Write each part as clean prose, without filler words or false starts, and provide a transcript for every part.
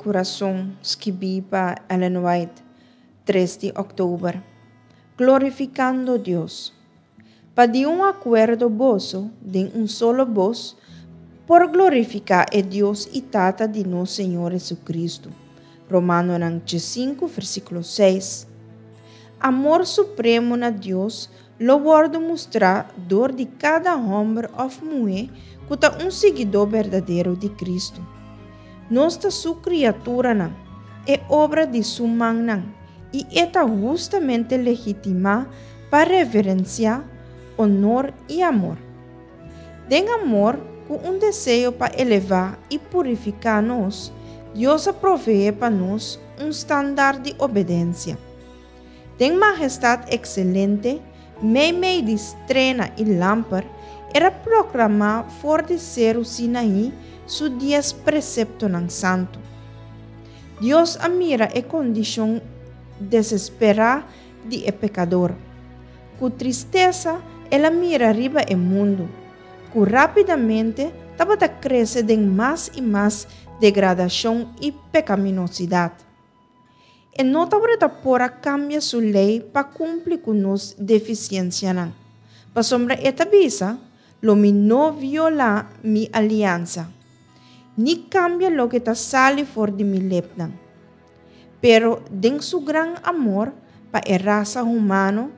Kurason skibí pa Ellen White, tres di òktober. Glorifikando Dios. Pa di un akuerdo boso, den un solo bos, por glorifiká e Dios i Tata di nos Señor Hesukristu. Romanonan diesinku, versíkulo seis. Amor supremo na Dios lo wòrdu mustrá dor di kada hòmber òf muhé ku ta un siguidó berdadero di Kristu. Nos ta Su kriaturanan, e obra di Su mannan, i E ta hustamente legitimá pa reverensiá, onor i amor. Den amor, ku un deseo pa elevá i purifiká nos, Dios a proveé pa nos un standaard di obedensia. Den majestat ekselente, meimei di strena i lamper, el a proklamá for di Seru Sinaí su dies preseptonan santu. Dios a mira e kondishon desesperá di e pekador. Ku tristesa el a mira riba e mundu, ku rápidamente tabata krese den mas i mas degradashon i pekaminosidat. E no tabata por a kambia su lei pa kumpli ku nos defisiensianan, pasobra e ta bisa, Lo mi no violá mi aliansa, ni kambia loke ta sali for di mi lepnan. Pero den su gran amor pa e rasa humano,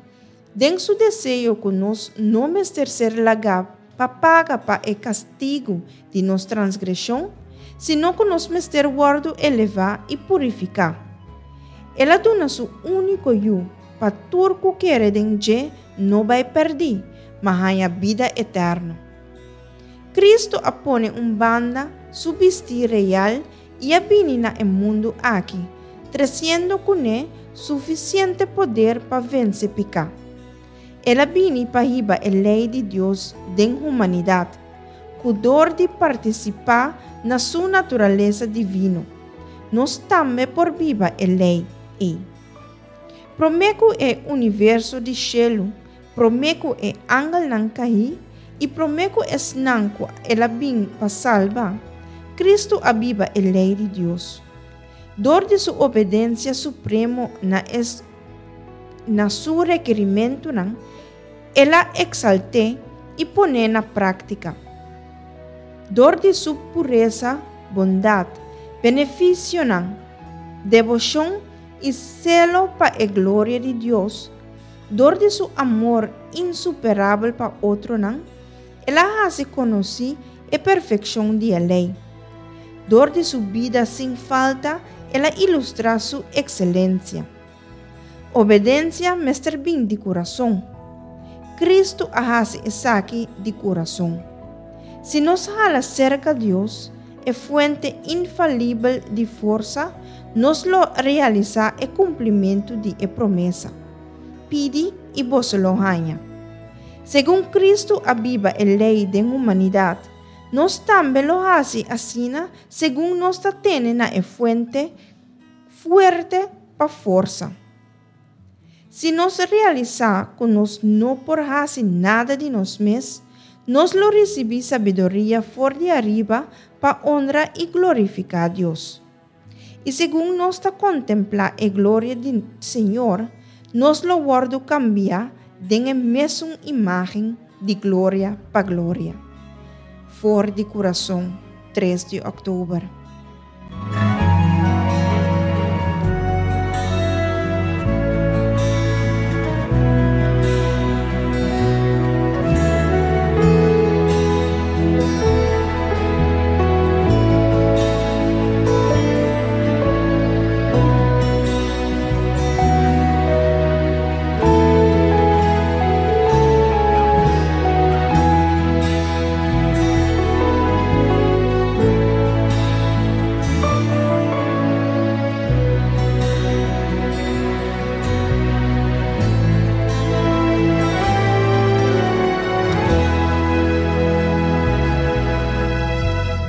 den su deseo ku nos no mester ser lagá pa paga pa e kastigu di nos transgreshon, sino ku nos mester wòrdu elevá i purifiká. El a duna su úniko Yu pa tur ku kere den dje no bai pèrdí, ma haña bida eterno. Kristu a pone un banda su bistí real i a bini na e mundu aki, tresiendo kuné sufisiente poder pa vense piká. El a bini pa hiba e lei di Dios den humanidat, ku dor di partisipá na su naturalesa divino, nos tambe por biba e lei ei. Promé ku e universo di shelu, promé ku e angelnan kaí i promé ku esnan ku el a bin pa salba, Kristu a biba e lei di Dios. Dor di su obedensia supremo na e na su rekerimentunan, el a eksalt'é i pon'é na práktika. Dor di su puresa, bondat, benefisionan, deboshon i selo pa e gloria di Dios, dor di su amor insuperabel pa otronan, el a hasi konosí e perfekshon di e lei. Dor di su bida sin falta, el a ilustrá su ekselensia. Obedensia mester bin di kurason. Kristu a hasi esaki di kurason. Si nos hala serka Dios, e fuente infalibel di forsa, nos lo realisá e kumplimentu di e promesa, Pidi i boso lo haña. Segun Kristu a biba e lei den humanidat, nos tambe lo hasi asina segun nos ta tene na e fuente fuerte pa forsa. Si nos realisá ku nos no por hasi nada di nos mes, nos lo risibí sabiduria for di ariba pa onra i glorifiká Dios. I segun nos ta kontemplá e gloria di Señor, nos lo wòrdu kambiá den e mesun imágen di gloria pa gloria. For di Kurason, tres di òktober.